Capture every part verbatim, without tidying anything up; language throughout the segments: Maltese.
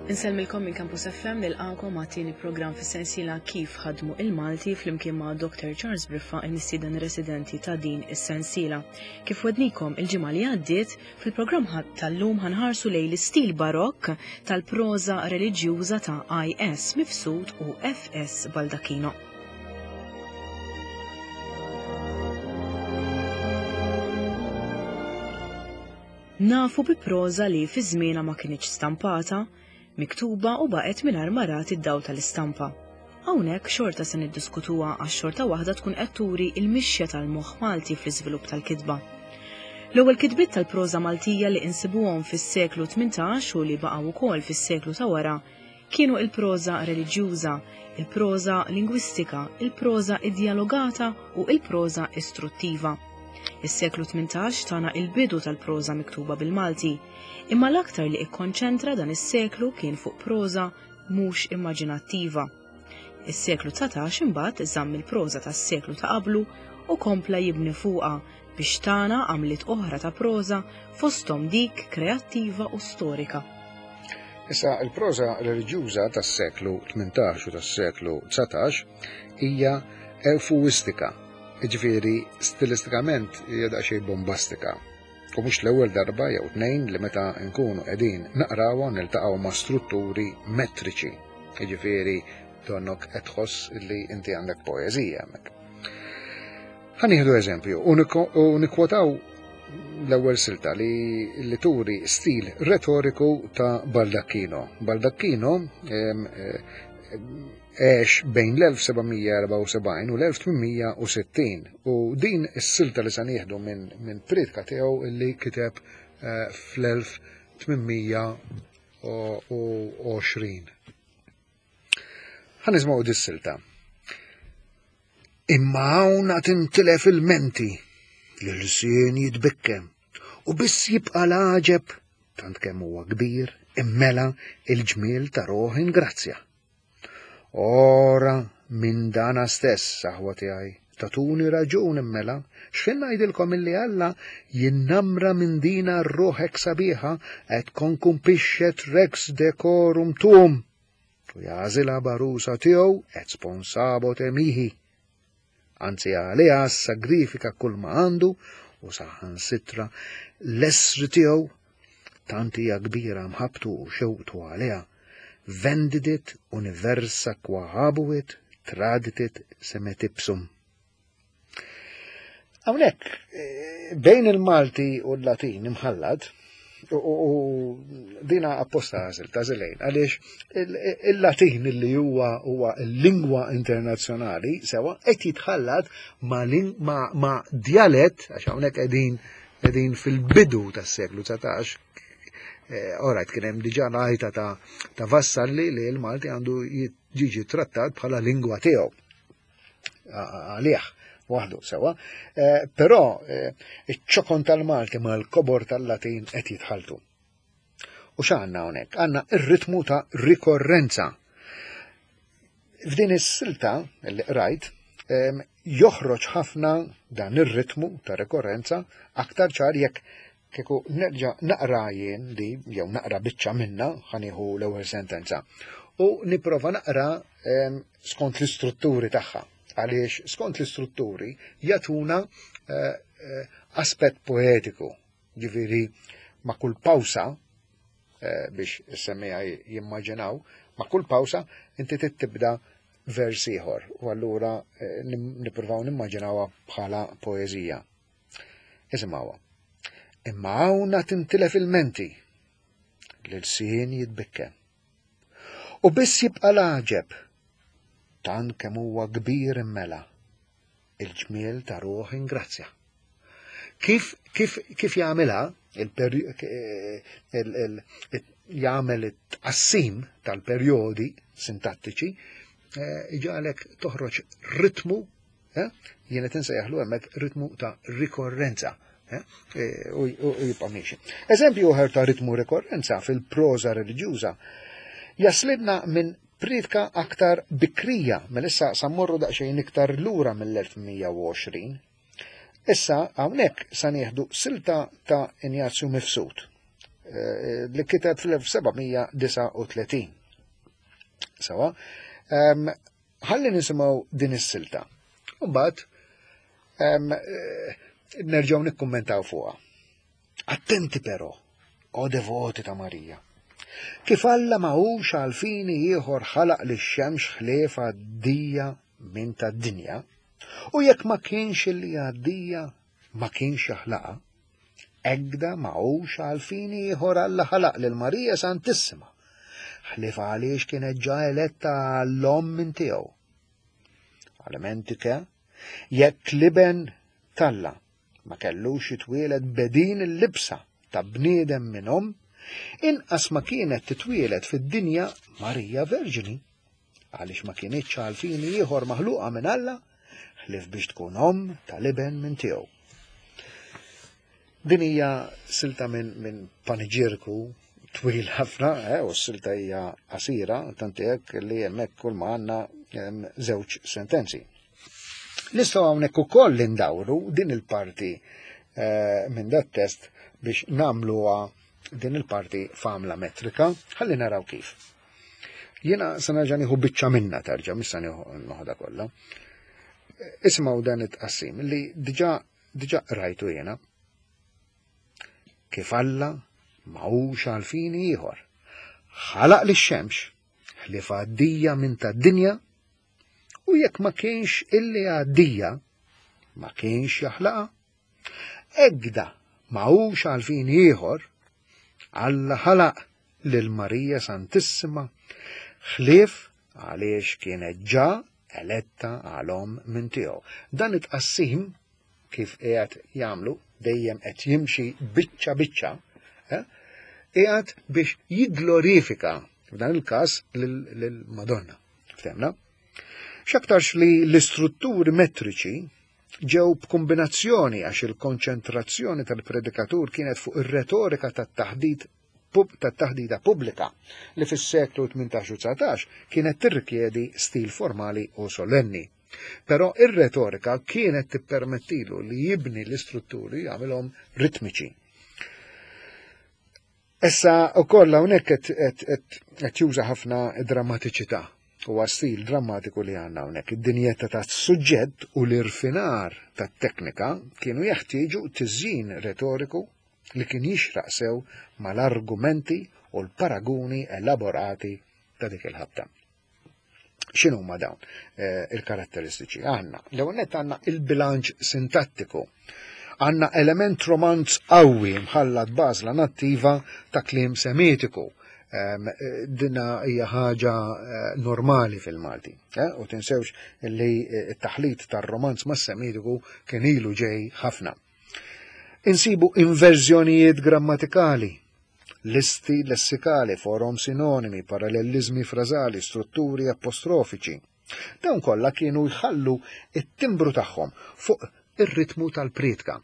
Insellmilkom minn Campus F M nilqakom għat-tieni programm fis-sensiela Kif ħadmu il-Malti flimkien ma' Doctor Charles Briffa, il-mistieden residenti ta' din is-sensiela. Kif wednikom il-ġimgħa li għaddiet, fil-programm tal-lum ħanħarsu lejn l-istil barokk tal-proża reliġjuża ta' I S Mifsud u F S Baldacchino. Nafu bi proża li fi żmienha ma kinitx stampata, miktuba u baqgħet mingħajr ma rat id-dawl tal-istampa. Hawnhekk xorta se niddiskutuha għax xorta waħda tkun qed turi l-mixja tal-moħħ Malti fl-iżvilupp tal-kitba. L-ewwel kitbiet tal-proża Maltija li insibuhom fis-seklu tmintax u li baqgħu wkoll fis-seklu ta' wara kienu il-proża reliġjuża, il-proża lingwistika, il-proża iddialogata u il-proża istruttiva. Is-seklu tmintax tana il-bidu tal-proża miktuba bil-Malti, imma l-aktar li ikkonċentra dan is-seklu kien fuq proża mhux immaġinattiva. Is-seklu dsatax imbagħad żamm il-proża tas-seklu ta' qablu u kompla jibni fuqha biex tana għamliet oħra ta' proża fosthom dik kreattiva u storika. Issa il-proża reliġjuża tas-seklu tmintax u tas-seklu dsatax hija eufuistika, jiġifieri stilistikament hija daqsxejn bombastika. U mhux l-ewwel darba jew tnejn li meta nkunu qegħdin naqrawha niltaqgħu ma' strutturi metriċi, jiġifieri donnok qed tħoss li inti għandek poeżija hemmhekk. Ħa nieħdu eżempju u niko-, u nikkwotaw l-ewwel silta li, li turi stil retoriku ta' Baldacchino. Baldacchino, em, eh, għex bejn l-elf seba' mija erbgħa u sebgħin u l-elf tmien mija u sittin u din is-silta li se nieħdu minn, minn priedka tiegħu li kiteb, eh, fl-elf tmien mija u għoxrin. Ħa nisimgħu dis-silta. Imma hawn għad intilef il-menti, l-ilsien jitbikkem, u biss jibqa' l-għaġeb tant kemm huwa kbir immela il-ġmiel ta' ruħ ingrazzja. Ora minn dana stess, aħwa tiegħi, tatuni raġun immela, x'fin ngħidilkom illi Alla jinnamra minn dina r-ruħek sabiħa et konkumpixxet rex decorum tuum, u jażilha barusa tiegħu et sponsabo temihi. Anzi għaliha sagrifika kull ma għandu u saħansitra l-esri tiegħu tant hija kbira mħabbtu u xewqtu għaliha. Vendidit universa qua habuit traditit semetipsum. Hawnhekk, eh, bejn il-Malti u l-Latin imħallad, u, u, u dina apposta għażil ta' żilejn, għaliex il-, il-Latin li huwa, huwa l-lingwa internazzjonali sewa qed jitħallat ma' ling-, ma', ma' djalett, għax hawnhekk qegħdin, qegħdin fil-bidu tas-seklu dsatax. Eh, Alright, kien hemm diġà ngħajta ta', ta' Vassalli li l-Malti għandu jiġi trattat bħala lingwa tiegħu. A-, a-, għalih waħdu sewa. Eh, però, eh, iċ-ċokon tal-Malti mal-kobor tal-Latin qed jitħaltu. U x'għandna hawnhekk? Għandna r-ritmu ta' rikorrenza. F'din is-silta li qrajt, em, joħroġ ħafna dan ir-ritmu ta' rikorrenza aktar ċar jekk kieku nerġa' naqra jien di, jew naqra biċċa minna, ħanieħu l-ewwel sentenza, u nipprova naqra, em, skont l-istrutturi tagħha, għaliex skont l-istrutturi jagħtuna, eh, eh, aspett poetiku, ġifieri ma' kull pawsa, eh, biex is-semmiegħa jimmaġinaw, ma' kull pawsa inti trid tibda vers ieħor, u allura, eh, nim-, nippruvaw nimmaġinawha bħala poeżija. Isimgħuha. Imma hawn tintilef il-menti, l-ilsien jitbikkem. U biss jibqa' l-għaġeb, tant kemm huwa kbir immela, il-ġmiel ta' ruħ ingrazzja. Kif, kif, kif jagħmilha, il-peri-, eh, il-, il-, jagħmel it-tqassim tal-perjodi sintattiċi, eh, iġalek toħroġ ritmu, eh, jien qed insejjaħlu hemmhekk ritmu ta' rikorrenza. Eh, eh, u, u jibqa' miexi. Eżempju oħra ta' ritmu rikorrenza fil-proża reliġjuża jaslibna minn priedka aktar bikrija, mela issa sa mmorru daqsxejn iktar lura mill-elf mija u għoxrin. Issa hawnhekk sa nieħdu silta ta' Injazju Mifsud. li kiteb fl-elf seba' mija disgħa u tletin. Sawa, ħalli nisimgħu din is-silta. U mbagħad nerġgħu nikkummentaw fuqha. Attenti però, o devoti ta' Marija. Kif Alla ma hux għal fini ieħor ħalaq lix-xemx ħlief għaddija minn tad-dinja, u jekk ma kienx illi għaddija ma kienx jaħlaqa, egda ma hux għal fini ieħor Alla ħalaq lil Marija Santissima, ħlief għaliex kienet ġa eletta għall-omm minn tiegħu. Għalimentike, jekk l-iben t'Alla ma kellux jitwieled bedin il-libsa ta' bniedem minn omm, inqas ma kienet titwieled fid-dinja Marija Verġni, għaliex ma kienitx għal fini ieħor maħluqa minn Alla, ħlief biex tkun omm tal-iben minn tiegħu. Din hija silta minn min paniġierku twil ħafna, eh, u s-silta hija qasira, tant hekk li hemmhekk kull ma għandna żewġ sentenzi. Nistgħu hawnhekk ukoll indawru din il-parti eh, minn dat test biex nagħmluha din il-parti f'għamla metrika, ħalli naraw kif. Jiena se nerġa' nieħu biċċa minna terġa', mhux se nieħu noħodha kollha. Isimgħu dan it-tqassim li diġà diġà rajtu jiena. Kif Alla ma hux għal fini ieħor ħalaq lix-xemx ħlief għaddija minn tad-dinja, u jekk ma kienx illi għaddija ma kienx jaħlaqa, egda ma hux għal fini ieħor Alla ħalaq lil Marija Santissima ħlief għaliex kienet ġa eletta għal omm minn tiegħu. Dan it-tqassim kif qiegħed jagħmlu dejjem qed jimxi biċċa biċċa, eh, qiegħed biex jigglorifika f'dan il-każ lil Madonna. Ftemna? X'aktarx li l-istrutturi metriċi ġew b'kombinazzjoni għax il-konċentrazzjoni tal-predikatur kienet fuq ir-retorika tat-taħdid tat-taħdida pubblika li fis-seklu tmintax u dsatax kienet tirrikjedi stil formali u solenni. Però ir-retorika kienet tippermettilu li jibni l-istrutturi jagħmilhom ritmiċi. Issa wkoll hawnhekk qed juża ħafna drammatiċità. Huwa stil drammatiku li għandna hawnhekk. Id-dinjeta tas-suġġett u l-irfinar tat-teknika kienu jeħtieġu tiżjin retoriku li kien jixraq sew mal-argumenti u l-paraguni elaborati ta' dik il-ħabta. X'inhu huma dawn, eh, il-karatteristiċi? Għandna, l-ewwel nett għandna il-bilanċ sintattiku. Għandna element romanz qawwi mħallat b'għażla nattiva ta' kliem semitiku. Em, dina hija ħaġa, eh, normali fil-Malti. Eh? U tinsewx li, eh, t-taħlit tar-romanz mas-semitiku kien ilu ġej ħafna. Insibu inverżjonijiet grammatikali, listi lessikali, forom sinonimi, parallelizmi frażali, strutturi apostrofiċi. Dawn kollha kienu jħallu it-timbru tagħhom fuq ir-ritmu tal-priedka.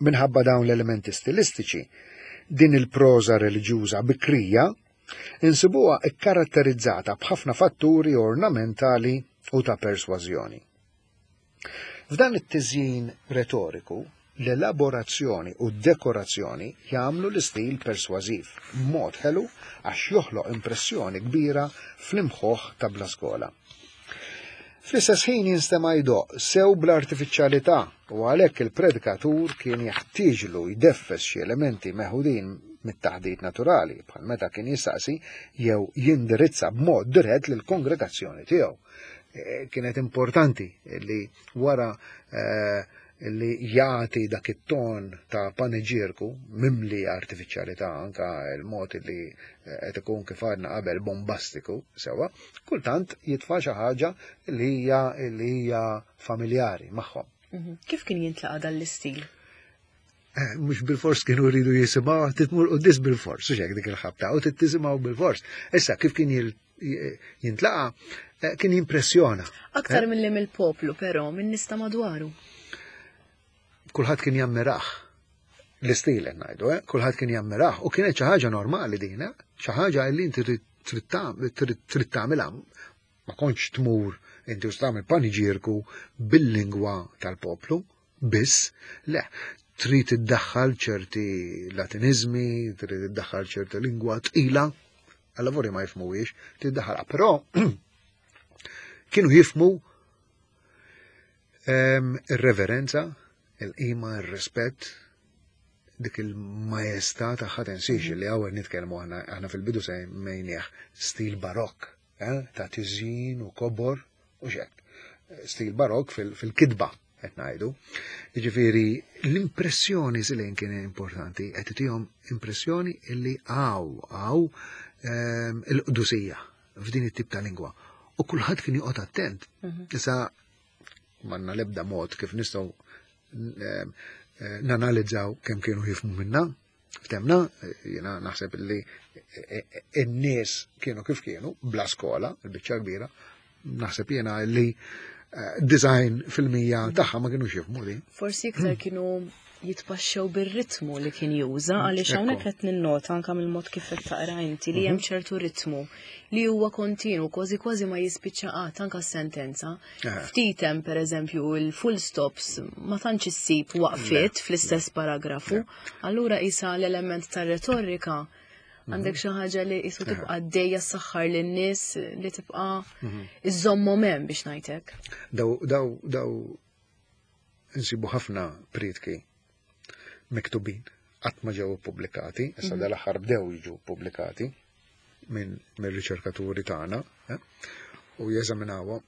Minħabba dawn l-elementi stilistiċi, din il-proża reliġjuża bikrija insibuha ikkaratterizzata b'ħafna fatturi ornamentali u ta' persważjoni. F'dan it-tiżjin retoriku, l-elaborazzjoni u d-dekorazzjoni jagħmlu l-istil persważiv b'mod ħelu għax joħloq impressjoni kbira fl-imħuħ ta' bla skola. Fl-istess ħin jinstema' jdoqq sew bl-artifiċjalità u għalhekk il-predikatur kien jeħtieġlu jdeffes xi elementi meħudin mit-taħdit naturali bħal meta kien jistaqsi jew jindirizza b'mod dirett lill-kongregazzjoni tiegħu. E, kienet importanti li wara, eh, li jagħti dak it-ton ta' paneġierku mimli artifiċjalità, anka il-mod li qed ikun kif għadna qabel bombastiku sewa, kultant jitfa' xi ħaġa li hija li hija familjari magħhom. Mhm. Kif kien jintlaqa' dan l-istil? Eh, mhux bil-fors kienu jridu jisimgħu, titmur quddiem bil-fors, u x'hekk dik il-ħabta, u tittisimgħu bil-fors. Issa kif kien jil-, jintlaqa', eh, kien jimpressjona. Aktar Eh? milli mill-poplu, però, minn nies ta' madwaru. Kulħadd kien jammiraħ. L-istil qed ngħidu, eh? Kulħadd kien jammiraħ u kienet xi ħaġa normali din, eh? Xi ħaġa li inti trid, trid tagħmel, trid, trid tagħmilha. Ma kontx tmur inti u tagħmel paniġierku bil-lingwa tal-poplu, biss, le, Trid iddaħħal ċerti latinizmi, trid iddaħħal ċerti lingwa tqila, għalla ma jifhmuhiex, tiddaħħalha. Però kienu jifhmu ir-reverenza, il-qima, ir-rispett, dik il-majestà tagħha. Tinsiex li hawn nitkellmu aħna fil-bidu semmejnieh stil barokk, eh, ta' tiżjin u kobor u xek. Stil barokk fil-kitba qed ngħidu. Jiġifieri l-impressjoni silejn kien importanti, qed tihom impressjoni illi hawn hawn ehm, il-qdusija f'din it-tip ta' lingwa. U kulħadd kien joqgħod attent. Mhm. Issa m'għandna l-ebda mod kif nistgħu ehm, eh, nanalizzaw kemm kienu jifhmu minna. Ftemna, jiena naħseb li n-nies kienu kif kienu, bla skola, il-biċċa kbira, naħseb jiena li eh, disgħin fil-mija tagħha ma kienu jifhmu din. Forsi iktar kienu jitpaxxew bir-ritmu li kien juża, għaliex hawnhekk qed ninnota anke mill-mod kif qed taqra inti li hemm mhm. ċertu ritmu li huwa kontinu, kważi kważi ma jispiċċa qatt anke sentenza. Ftit hemm, pereżempju, il-full stops, ma tantx issib waqfiet fl-istess paragrafu. Allura isa l-element tar-retorika mhm. għandek xi ħaġa li qisu tibqa' għaddejja, saħħar lin-nies li tibqa' mhm. iżommhom hemm, biex ngħidlek. Daw daw daw insibu ħafna prietki miktubin, qatt ma ġew pubblikati, issa mhm. dal-aħħar bdew jiġu pubblikati minn mir-riċerkaturi tagħna eh, u jeżaminawhom.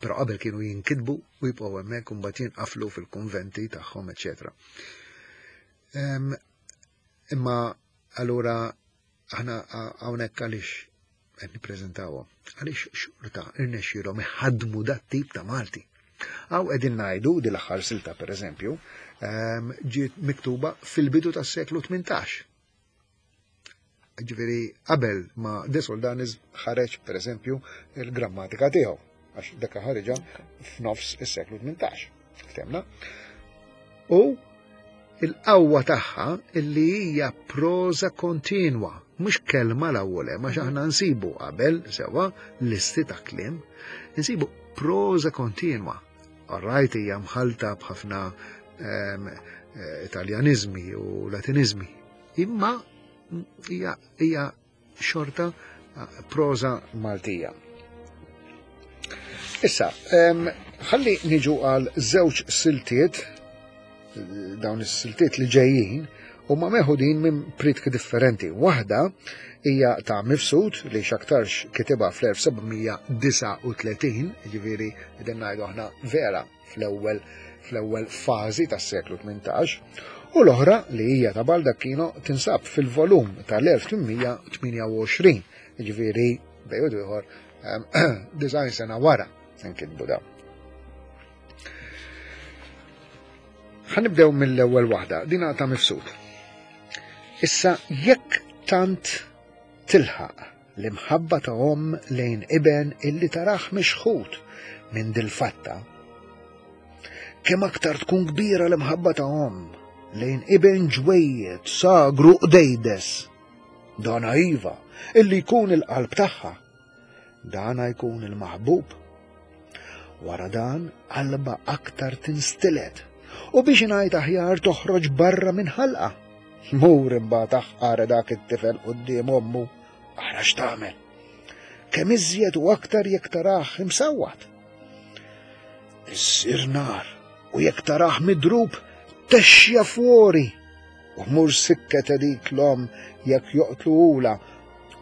Però qabel kienu jinkitbu u jibqgħu hemmhekk u mbagħad jinqaflu fil-konventi tagħhom, eċetera. Imma allura aħna hawnhekk għaliex qed nippreżentawhom? Għaliex xorta irnexxielhom iħaddmu dat tip ta' Malti. Hawn qegħdin ngħidu di l-aħħar silta, pereżempju, ehm, ġiet miktuba fil-bidu tas-seklu tmintax. Ġifieri qabel ma De Soldanis ħareġ, pereżempju, il-grammatika tiegħu, għax dak ħareġha f'nofs is-seklu tmintax. Ftemna? U il-qawwa tagħha illi hija proza kontinwa, mhux kelma l-ewwel, ma aħna nsibu qabel sewa listi ta' kliem, nsibu proza kontinwa. Alright, hija mħalta b'ħafna ehm, eh, Italjanizmi u Latinizmi, imma hija hija xorta eh, proza Maltija. Issa, ehm, ħalli niġu għal żewġ siltiet, dawn is-siltiet li ġejjin huma meħudin minn prietki differenti. Waħda hija ta' Mifsud li x'aktarx kitibha fl-elf seba' mija disgħa u tletin, ġifieri qegħdin ngħidu aħna vera fl-ewwel fl-ewwel fażi tas-seklu tmintax, u l-oħra li hija ta' Baldacchino tinsab fil-volum tal-elf tmien mija tmienja u għoxrin, ġifieri bejn ieħor disgħin sena wara nkitbu dawn. Ħa nibdew mill-ewwel waħda, dina ta' Mifsud. Issa jekk tant tilħaq l-imħabba ta' omm lejn iben illi taraħ mixħut minn dil-fatta, kemm aktar tkun kbira l-imħabba ta' omm lejn iben ġwejjed, sagru, qdejdes. Dana iva, illi jkun il-qalb tagħha, dana jkun il-maħbub. Wara dan qalba aktar tinstilet u biex ngħid aħjar toħroġ barra minn ħalqa. Mur imbagħad aħqar dak it-tifel quddiem ommu, ara x'tagħmel. Kemm iżjed u aktar jekk tarah imsawwat. Issir nar u jekk tarah midrub texja fuori u mur sikket dik l-omm jekk joqtluhulha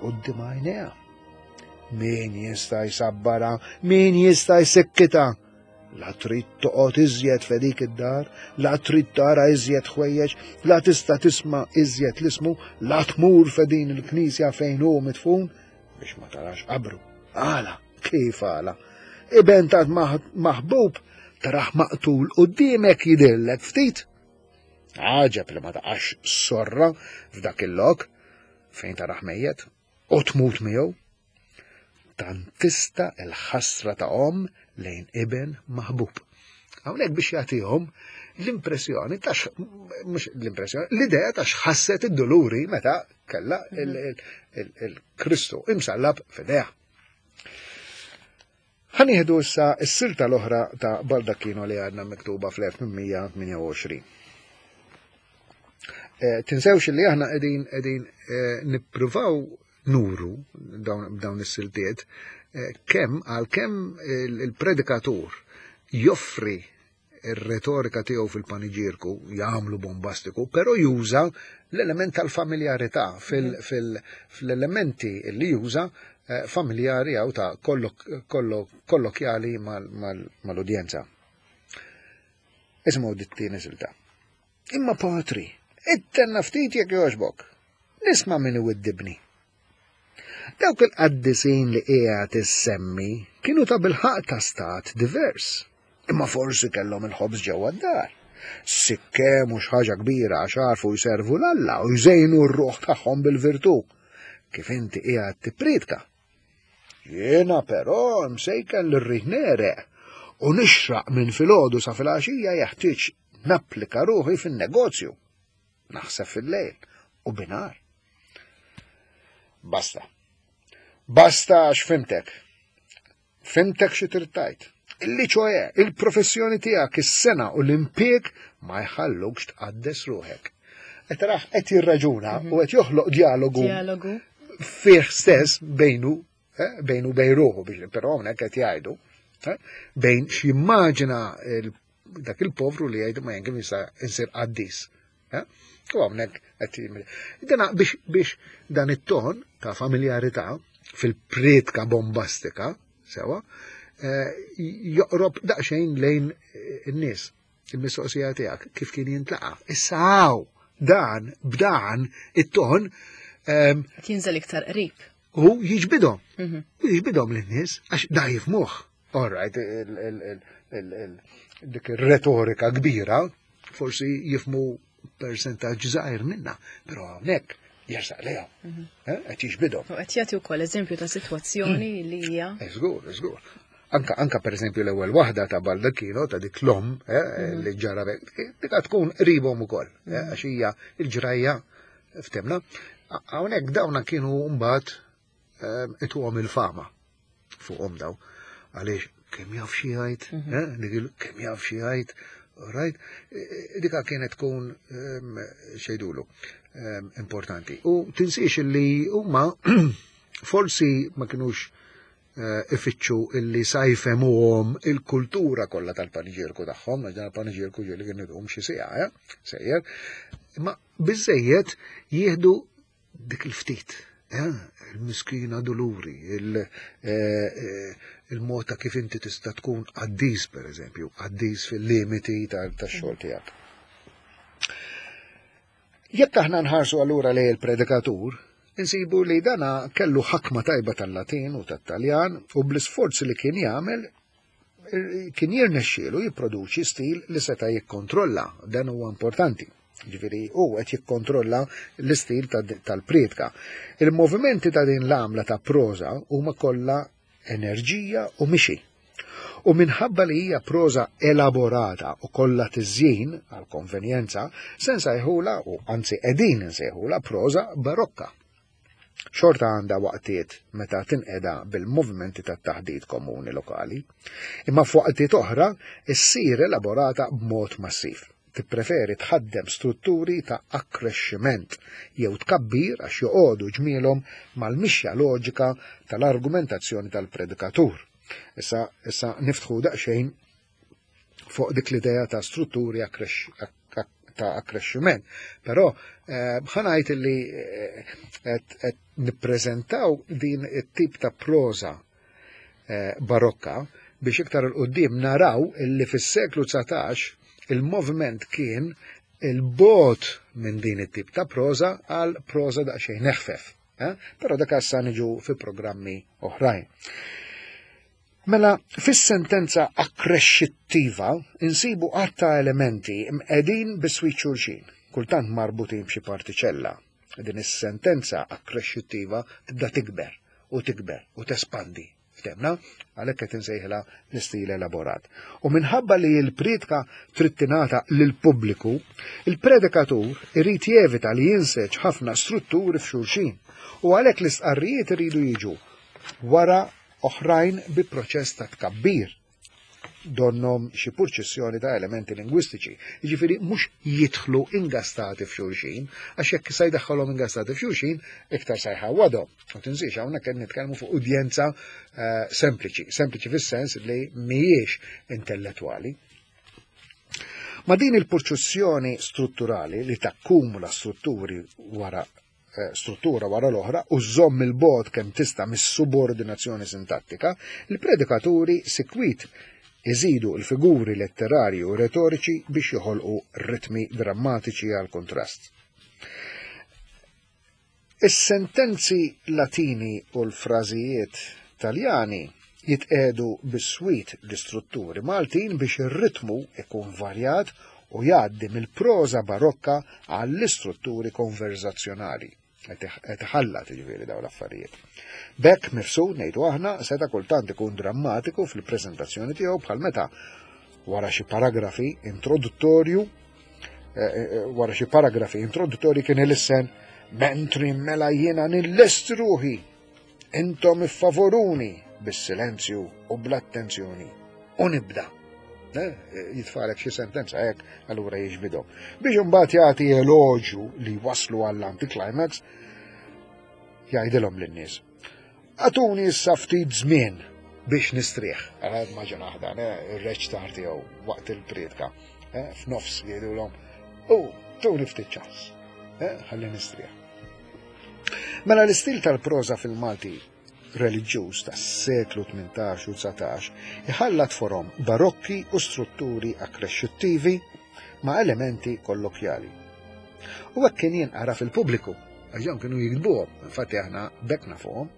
quddiem għajnejha. Min jista' jsabbara, min jista' jsikkita? La trid toqgħod iżjed f'dik id-dar, la trid tara iżjed ħwejjeġ, la tista' tisma' iżjed l-ismu, la tmur f'din il-knisja fejn hu midfun biex ma tarax qabru. Għala, kif għala? Iben ta' maħbub taraħ maqtul quddiemek jidhirlek ftit. Għaġeb li ma taqax sorra f'dak il-lok fejn taraħ mejjet u tmut miegħu. Tant tista' il-ħasra ta' omm lejn iben maħbub. Hawnhekk biex jagħtihom l-impressjoni ta' mhux l-impressjoni, l-idea ta' x'ħasset id-doluri meta kella il-Kristu imsallab f'idejha. Ħa nieħdu issa s-silta l-oħra ta' Baldacchino li għandna miktuba fl-elf tmien mija tmienja u għoxrin. Eh, tinsewx li aħna qegħdin qegħdin eh, nippruvaw nuru dawn dawn is-siltiet eh, kemm għal kemm il-predikatur joffri ir-retorika tiegħu fil-paniġierku jagħmlu bombastiku, però juża l-element tal-familjarità fil-elementi li juża familjari jew ta' kollokjali mal-udjenza. Isimgħu dit-tieni silta. Imma patri, ittenna ftit jekk jogħġbok. Nisma' min iwiddibni. Dawk il-qaddisin li qiegħed issemmi kienu ta' bilħaq ta' stat divers. Imma forsi kellhom il-ħobż ġewwa d-dar. Sikke mhux ħaġa kbira għax għarfu jservu 'l Alla u jżejnu r-ruħ tagħhom bil-virtù. Kif inti qiegħed tippriedka. Jiena però msejken li rrid negħreq u nixraq minn filgħodu sa filgħaxija jeħtieġ napplika ruħi fin-negozju. Naħseb fil-lejl u binhar. Basta. Basta għax fhimtek. Fhimtek xi trid tgħid. Illi ċoè, il-professjoni tiegħek, is-sengħa u l-impjieg ma jħallukx tqaddes ruħek. Qed taraħ qed jirraġuna u qed joħloq dialogu Dialogu. fih stess bejnu, eh, bejnu bejn ruħu biex però hawnhekk qed jgħidu, eh, bejn x'jimmaġina il- dak il-povru li jgħidu ma jien kif jista' insir qaddis. eh? U hawnhekk qed jimri. Dana biex biex dan it-ton ta' familjarità fil-priedka bombastika, sewa, eh, joqrob daqsxejn lejn in-nies. Il-mistoqsija tiegħek kif kien jintlaqa. Issa hawn dan b'dan it-ton ehm, Qed jinżel iktar qrib. u jiġbidhom. Mhm. U jiġbidhom lin-nies għax da jifhmuh. All right, il- il- il- il- il- dik ir-retorika kbira forsi jifhmu percentaġġ żgħir minna, però hawnhekk jersaq lejhom. Eh, qed jiġbidhom. U qed jagħti wkoll eżempju ta' sitwazzjoni li hija Eh, Żgur, żgur. Anka, anka per eżempju l-ewwel waħda ta' Baldacchino ta' dik l-om eh, li ġara dik tkun qribhom ukoll, eh, għax hija il-ġrajja ftemna. Hawnhekk dawna kienu mbagħad eh, ituhom il-fama fuqhom daw. Għaliex kemm jaf xi jgħid, eh, dik il- kemm jaf xi jgħid, right? Dika kienet tkun ehm, xejdulu ehm, importanti. U tinsiex li huma forsi ma kienux eh, ifittxu illi sa jfehmuhom il-kultura kollha tal-paniġierku tagħhom, għax dan il-paniġierku ġieli kien idum xi siegħa, eh, sejjer, imma biżejjed jieħdu dik il-ftit, eh, il-miskina doluri, il- eh, eh, il-mod ta' kif inti tista' tkun qaddis, per eżempju, qaddis fil-limiti tax-xogħol tiegħek. Jekk aħna nħarsu allura lejn il-predikatur, insibu li dana kellu ħakma tajba tal-Latin u tat-Taljan u bl-isforzi li kien jagħmel eh, kien jirnexxielu jipproduċi stil li seta' jikkontrolla, dan huwa importanti. Ġifieri hu qed jikkontrolla l-istil tal-priedka. Il-movimenti ta' din l-għamla ta' proża huma kollha enerġija u mixi. U minħabba li hija proża elaborata u kollha tiżjin għal konvenjenza, se nsejħula u anzi qegħdin nsejħula proża barokka. Xorta għandha waqtiet meta tinqeda bil-movimenti tat-taħdit komuni lokali, imma f'waqtiet oħra issir elaborata b'mod massiv. Tippreferi tħaddem strutturi ta' akkrexximent jew tkabbir għax joqogħdu ġmielhom mal-mixja loġika tal-argumentazzjoni tal-predikatur. Issa, issa niftħu daqsxejn fuq dik l-idea ta' strutturi ta' akkrexximent. Però eh, ħa ngħid li qed eh, nippreżentaw din it-tip ta' proża eh, barokka biex iktar 'il quddiem naraw illi fis-seklu dsatax il-moviment kien il-bogħod minn din it-tip ta' proża għal proża daqsxejn eħfef. Eh? Però dak issa niġu fi programmi oħrajn. Mela, fis-sentenza akkrexxittiva insibu għadd ta' elementi mqegħdin biswit xulxin, kultant marbutin b'xi partiċella. Din is-sentenza akkrexxittiva tibda tikber u tikber u tespandi. Ftemna, għalhekk qed insejħilha l-istil elaborat. U minħabba li l-priedka trid tingħata lill-pubbliku, il-predikatur irid jevita li jinseġ ħafna strutturi f'xulxin u għalhekk l-istqarrijiet iridu jiġu wara oħrajn bi proċess ta' tkabbir. Donnom xi purċissjoni ta' elementi lingwistiċi. Jiġifieri mhux jidħlu ingastati f'xulxin, għax jekk se jdaħħalhom ingastati f'xulxin, iktar se jħawwadhom. U tinsiex hawnhekk qed nitkellmu fuq udjenza eh, sempliċi, sempliċi fis-sens li mhijiex intellettwali. Ma din il-purċissjoni strutturali li takkumula strutturi wara eh, struttura wara l-oħra u żomm il-bogħod kemm tista' mis-subordinazzjoni sintattika, il-predikaturi sikwit iżidu l-figuri letterarji u retoriċi biex joħolqu ritmi drammatiċi għal kontrast. Is-sentenzi Latini u l-frażijiet Taljani jitqedu biswit l-istrutturi Maltin biex ir-ritmu ikun varjat u jgħaddi mill-proża barokka għall-istrutturi konverzazzjonali. Qed iħallat jiġifieri dawn l-affarijiet. B'hekk Mifsud, ngħidu aħna, seta' kultant ikun drammatiku fil-preżentazzjoni tiegħu bħal meta wara xi paragrafi introduttorju eh, eh, wara xi paragrafi introduttorji kien ilissen mentri mela jiena nillest ruħi, intom iffavoruni bis-silenzju u bl-attenzjoni u nibda. Eh, jitfalek xi sentenza hekk, allura jiġbidhom. Biex imbagħad jagħti eloġju li waslu għall-anticlimax, jgħidilhom lin-nies: "Agħtuni issa ftit żmien biex nistrieħ." Għad ma ġenaħda, ir-reċtar tiegħu waqt il-priedka. Eh, f'nofs jgħidulhom, u tuni ftit ċans, eh, ħalli nistrieħ. Mela l-istil tal-proża fil-Malti reliġjuż tas-seklu tmintax u dsatax iħallat forom barokki u strutturi akkrexxuttivi ma' elementi kollokjali. U hekk kien jinqara fil-pubbliku, għax dawn kienu jiktbuhom, infatti aħna bekna fuqhom.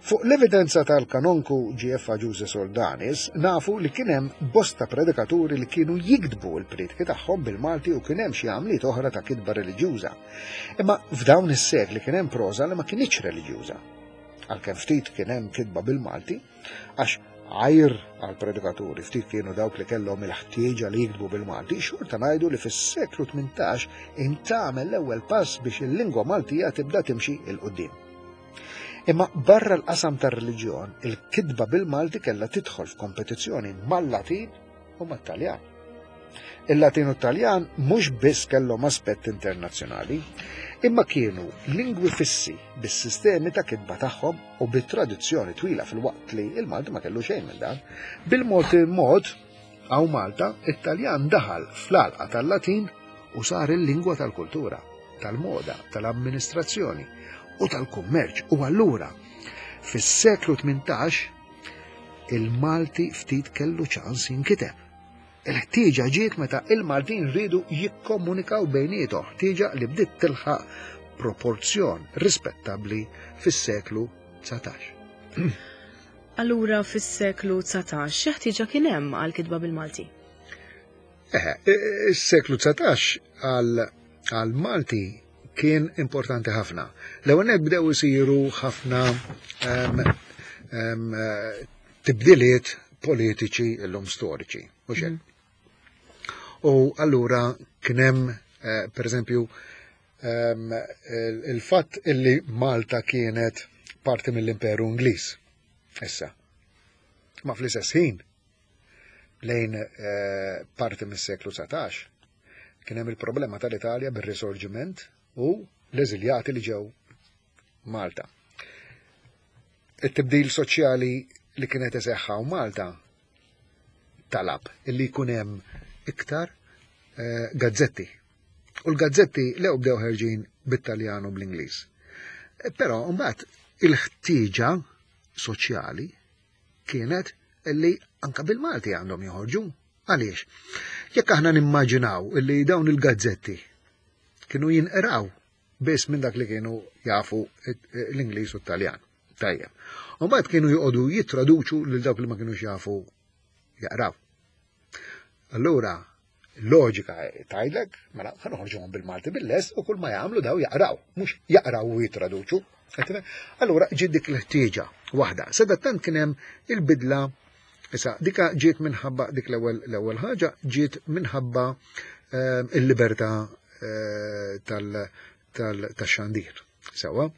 Fuq l-evidenza tal-kanonku G F Ġuże Soldanis nafu li kien hemm bosta predikaturi li kienu jiktbu l-prietki tagħhom bil-Malti u kien hemm xi għamliet oħra ta' kitba reliġjuża. Imma f'dawn is-sekli kien hemm proża li ma kinitx reliġjuża. Għalkemm ftit kien hemm kitba bil-Malti, għax għajr għal-predikaturi ftit kienu dawk li kellhom il-ħtieġa li jiktbu bil-Malti, xorta ngħidu li fis-seklu tmintax intagħmel l-ewwel pass biex il-lingwa Maltija tibda timxi 'l quddiem. Imma barra l-qasam tar-reliġjon, il-kitba bil-Malti kellha tidħol f'kompetizzjoni mal-Latin u mat-Taljan. Il-Latin u t-Taljan mhux biss kellhom aspett internazzjonali, imma kienu lingwi fissi bis-sistemi ta' kitba tagħhom u bit-tradizzjoni twila fil-waqt li il-Malti ma kellu xejn minn dan. Bil-mod il-mod, hawn Malta, it-Taljan daħal fl-għalqa tal-Latin u sar il-lingwa tal-kultura, tal-moda, tal-amministrazzjoni u tal-kummerċ. U allura, fis-seklu tmintax, il-Malti ftit kellu ċans jinkiteb. Il-ħtieġa ġiet meta il-Maltin rridu jikkomunikaw bejniethom, ħtieġa li bdiet tilħaq proporzjon rispettabbli fis-seklu dsatax. Allura fis-seklu dsatax xi ħtieġa kien hemm għal kitba bil-Malti? Eħe, is-seklu dsatax għal, għal Malti kien importanti ħafna. L-ewwel nett bdew isiru ħafna, em, em, tibdiliet politiċi illum storiċi, mhux hekk? Mm. U allura kien hemm, eh, per eżempju, em, il-, il-fatt illi Malta kienet parti mill-Imperu Ingliż. Issa. Ma fl-istess ħin lejn, eh, parti mis-seklu dsatax kien hemm il-problema tal-Italja bir-risorġiment u l-eżiljati li ġew Malta. It-tibdil soċjali li kienet iseħħa u Malta talab illi jkun hemm iktar, eh, gazzetti. U l-gazzetti lew bdew ħerġin bit-Taljan u bl-Ingliż. Eh, però mbagħad il-ħtieġa soċjali kienet illi anka bil-Malti għandhom joħorġu. Għaliex? Jekk aħna nimmaġinaw illi dawn il-gazzetti kienu jinqraw biss minn dak li kienu jafu l-Ingliż u t-Taljan. Tajjeb. U mbagħad kienu joqogħdu jittraduċu lil dawk li ma kinux jafu jaqraw. Allura, loġika tgħidlek, mela ħa noħorġuhom bil-Malti bil-lest u kull ma jagħmlu daw jaqraw, mhux jaqraw u jittraduċu. Allura ġiet dik l-ħtieġa waħda. Sadattant kien hemm il-bidla, issa dika ġiet minħabba dik l-ewwel, l-ewwel ħaġa ġiet minħabba, ehm, il-libertà, eh, tal-, tal-, tax-xandir. Sewwa.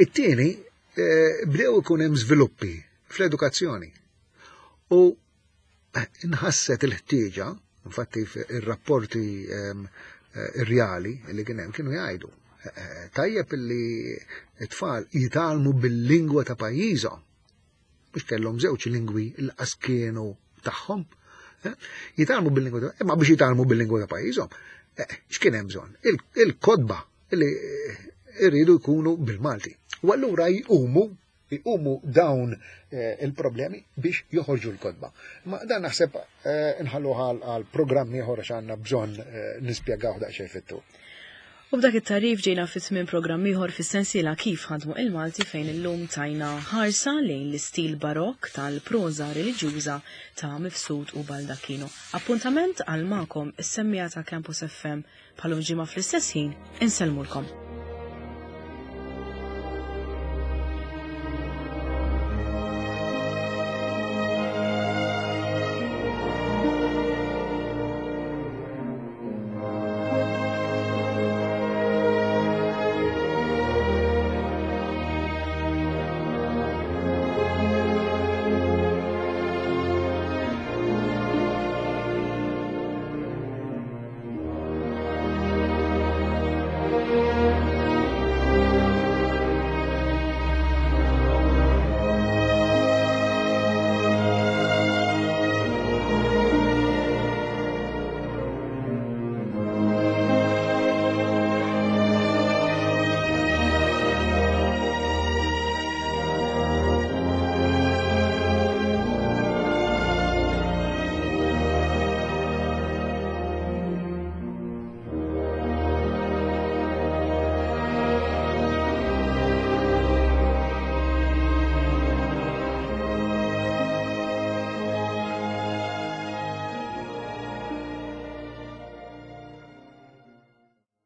It-tieni, eh, bdew ikun hemm żviluppi fl-edukazzjoni. U Inħasset il-ħtieġa, infatti ir-rapporti ehm, eh, rjali li kien hemm kienu jgħidu eh, tajjeb li t-tfal jitgħallmu bil-lingwa ta' pajjiżhom, biex kellhom żewġ lingwi l-qas kienu tagħhom. Eh, jitgħallmu bil-lingwa ta', imma biex jitgħallmu bil-lingwa ta' pajjiżhom, x'kien hemm bżonn? Il-kotba li irridu jkunu bil-Malti. U allura jqumu jqumu dawn eh, il-problemi biex joħorġu l-kotba. Ma dan naħseb eh, nħallu għal programm ieħor għax għandna bżonn eh, nispjegaw daqsxejn fit-tul. U b'dak it-tagħrif ġejna fi tmiem programm ieħor fis-sensiela Kif Ħadmu il-Malti, fejn illum tajna ħarsa lejn l-istil barokk tal-proża reliġjuża ta' Mifsud u Baldacchino. Appuntament għal magħkom is-semmiegħa ta' Campus F M bħal ġimgħa fl-istess ħin, insellmulkom.